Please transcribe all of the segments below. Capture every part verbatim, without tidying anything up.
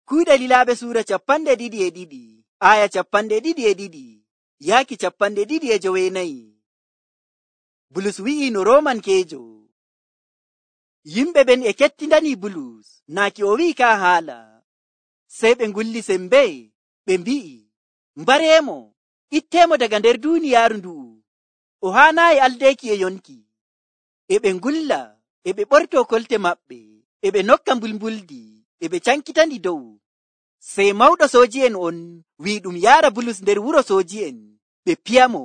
Kuuɗe Lilaaɓe suura capanɗe ɗiɗi e ɗiɗi, aya capanɗe ɗiɗi e ɗiɗi, yaaki capanɗe ɗiɗi e joweenayi. Bulus wi'i no Roomankeejo. Yimɓe ɓen e kettindani Bulus, naaki o wi'i ka haala. Sey ɓe ngulli sembe, ɓe mbi'i, mbareemo, itteemo daga nder duuniyaaru ndu'u. O haanaayi aldeeki e yonki. E ɓe ngulla, e ɓe ɓortoo kolte maɓɓe, e ɓe nokka mbulmbuldi, e ɓe cankitandi dow. Sey mawɗo sooji'en on wi'i ɗum yaara Bulus nder wuro sooji'en, ɓe piyamo,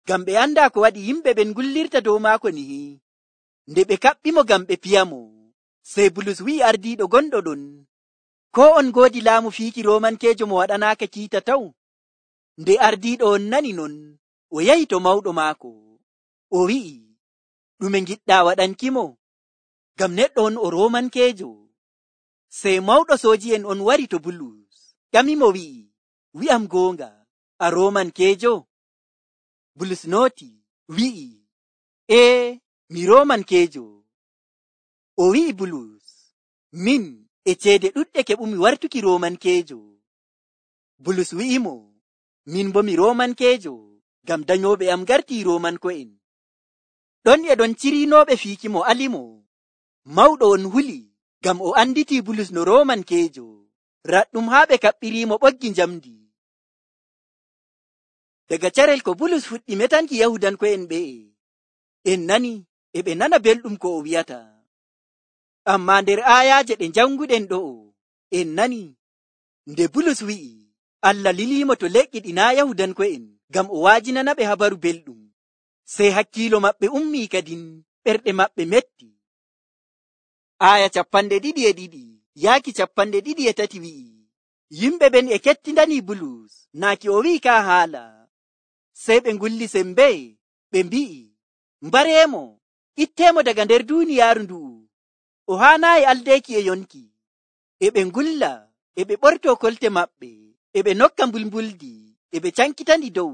ngam ɓe andaa ko waɗi yimɓe ɓen ngullirta dow maako nihi. Nde ɓe kaɓɓimo ngam ɓe piyamo, sey Bulus wi'i ardiiɗo gonɗo ɗon, koo on ngoodi laamu fiiki Roomankeejo mo waɗanaaka kiita taw? Nde ardiiɗo on nani non, o yahi to mawɗo maako. O wi'i, ɗume ngiɗɗaa waɗankimo? Ngam neɗɗo on o Roomankeejo. Sey mawɗo sooji'en on wari to Bulus, ƴamimo wi'i, wi'am goonga, a Roomankeejo? Bulus nooti, wi'i, ee, mi Roomankeejo. O wi'i Bulus, min e ceede ɗuɗɗe keɓumi wartuki Roomankeejo. Bulus wi'imo, min bo mi Roomankeejo, ngam danyooɓe am gartii Roomanko'en. Ɗon e ɗon ciriinooɓe fiiki mo alimo. Mawɗo on huli, ngam o anditii Bulus no Roomankeejo, raɗɗum haa ɓe kaɓɓiriimo ɓoggi njamdi. Daga carel ko Bulus fuɗɗi metanki Yahudanko'en ɓe'e, en nani e ɓe nana belɗum ko o wi'ata. Ammaa nder aayaaje ɗe njanguɗen ɗo'o, en nani nde Bulus wi'i, Allah liliimo to leƴƴi ɗi naa Yahudanko'en, ngam o waajinanaɓe habaru belɗum. Sey hakkiilo maɓɓe ummii kadin, ɓerɗe maɓɓe metti. Aya capanɗe ɗiɗi e ɗiɗi, yaaki capanɗe ɗiɗi e tati wi'i, yimɓe ɓen e kettindani Bulus, naaki o wi'i ka haala. Sey ɓe ngulli sembe, ɓe mbi'i, mbareemo, itteemo daga nder duuniyaaru ndu'u. O haanaayi aldeeki e yonki. E ɓe ngulla, e ɓe ɓortoo kolte maɓɓe, e ɓe nokka mbulmbuldi, e ɓe cankitandi dow.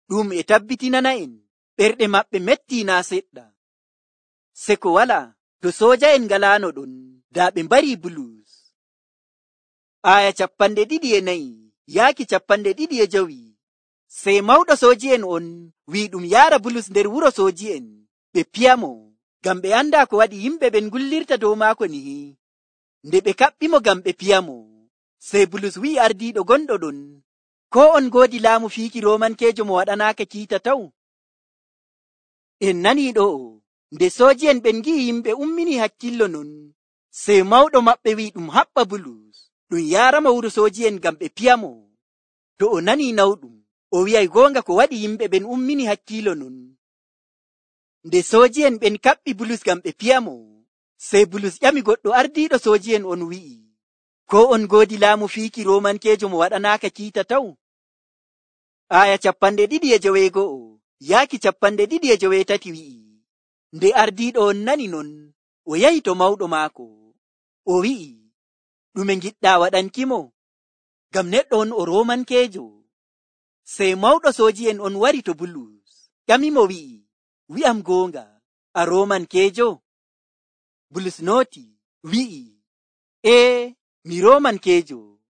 Ɗum e tabbitinana'en, ɓerɗe maɓɓe mettii naa seɗɗa. Seko wala, to sooja'en ngalaano ɗon, daa ɓe mbarii Bulus. Aya capanɗe ɗiɗi e nayi, yaaki capanɗe ɗiɗi e jowi. Sey mawɗo sooji'en on wi'i ɗum yaara Bulus nder wuro sooji'en, ɓe piyamo, ngam ɓe andaa ko waɗi yimɓe ɓen ngullirta dow maako nihi. Nde ɓe kaɓɓimo ngam ɓe piyamo, sey Bulus wi'i ardiiɗo gonɗo ɗon, koo on ngoodi laamu fiiki Roomankeejo mo waɗanaaka kiita taw? En nanii ɗo'o, nde sooji'en ɓen ngi'i yimɓe ummini hakkillo non, sey mawɗo maɓɓe wi'i ɗum haɓɓa Bulus, ɗum yaaramo wuro sooji'en ngam ɓe piyamo. To o nanii nawɗum, o wi'ay goonga ko waɗi yimɓe ɓen ummini hakkilo non. Nde sooji'en ɓen kaɓɓi Bulus ngam ɓe piyamo, sey Bulus ƴami goɗɗo ardiiɗo sooji'en on wi'i, ko on ngoodi laamu fiiki Roomankeejo mo waɗanaaka kiita taw? Aya capanɗe ɗiɗi e joweego'o, yaaki capanɗe ɗiɗi e joweetati wi'i, nde ardiiɗo on nani non, o yahi to mawɗo maako. O wi'i, ɗume ngiɗɗaa waɗankimo? Ngam neɗɗo on o Roomankeejo. Sey mawɗo sooji'en on wari to Bulus, ƴamimo wi'i, wi'am goonga, a Roomankeejo? Bulus nooti, wi'i, ee, mi Roomankeejo.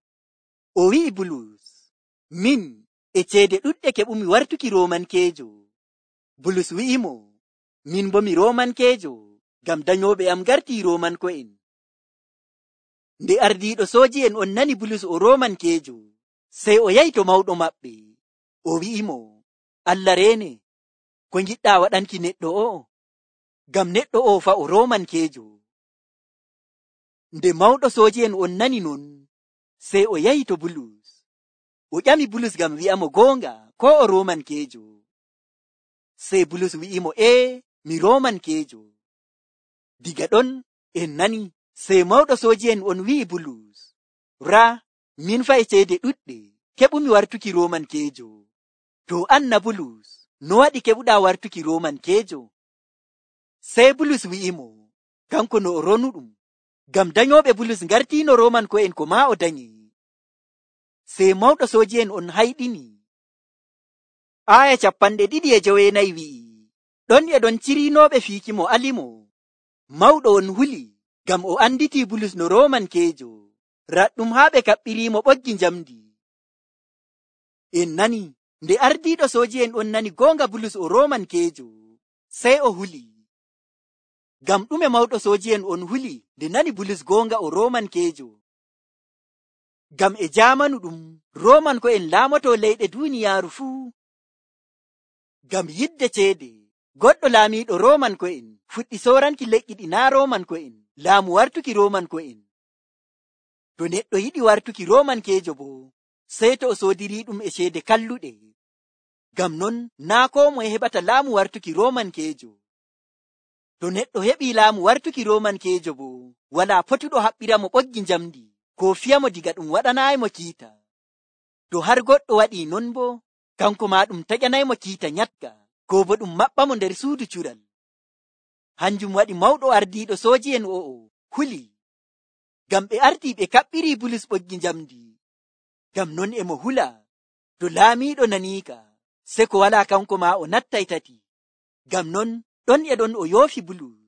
O wi'i Bulus, min e ceede ɗuɗɗe keɓumi wartuki Roomankeejo. Bulus wi'imo, min bo mi Roomankeejo, ngam danyooɓe am gartii Roomanko'en. Nde ardiiɗo sooji'en on nani Bulus o Roomankeejo, sey o yahi to mawɗo maɓɓe. O wi'imo, Allah reene, ko ngiɗɗaa waɗanki neɗɗo o'o? Ngam neɗɗo o fa o Roomankeejo. Nde mawɗo sooji'en on nani non, sey o yahi to Bulus. O ƴami Bulus ngam wi'amo goonga, ko o Roomankeejo. Sey Bulus wi'imo, ee, mi Roomankeejo. Diga ɗon en nani, sey mawɗo sooji'en on wi'i Bulus, raa, min fa e ceede ɗuɗɗe keɓumi wartuki Roomankeejo. To an na Bulus, no waɗi keɓuɗaa wartuki Roomankeejo? Sey Bulus wi'imo, kanko no o ronuɗum, ngam danyooɓe Bulus ngartiino Roomanko'en ko maa o danyi. Sey mawɗo sooji'en on hayɗini. Aya capanɗe ɗiɗi e joweenayi wi'i, ɗon e ɗon ciriinooɓe fiiki mo alimo. Mawɗo on huli, ngam o anditii Bulus no Roomankeejo, raɗɗum haa ɓe kaɓɓiriimo ɓoggi njamdi. En nani nde ardiiɗo sooji'en on nani goonga Bulus o Roomankeejo, sey o huli. Ngam ɗume mawɗo sooji'en on huli nde nani Bulus goonga o Roomankeejo? Ngam e jaamanu ɗum Roomanko'en laamoto leyɗe duuniyaaru fuu. Ngam yidde ceede, goɗɗo laamiiɗo Roomanko'en fuɗɗi sooranki leƴƴi ɗi naa Roomanko'en laamu wartuki Roomanko'en. To neɗɗo yiɗi wartuki Roomankeejo boo, sey to o soodirii ɗum e ceede kalluɗe. Ngam non naa koo moye heɓata laamu wartuki Roomankeejo. To neɗɗo heɓii laamu wartuki Roomankeejo boo, walaa potuɗo haɓɓira mo ɓoggi njamdi koo fiya mo diga ɗum waɗanaayimo kiita. To har goɗɗo waɗii non boo, kanko maa ɗum taƴanaymo kiita nyatka, koo bo ɗum maɓɓa mo nder suudu cural. Hanjum waɗi mawɗo ardiiɗo sooji'en o'o huli. Ngam ɓe artii ɓe kaɓɓirii Bulus ɓoggi njamdi. Ngam non e mo hula, to laamiiɗo naniika, se ko walaa kanko maa o nattay tati. Ngam non ɗon e ɗon o yoofi Bulus.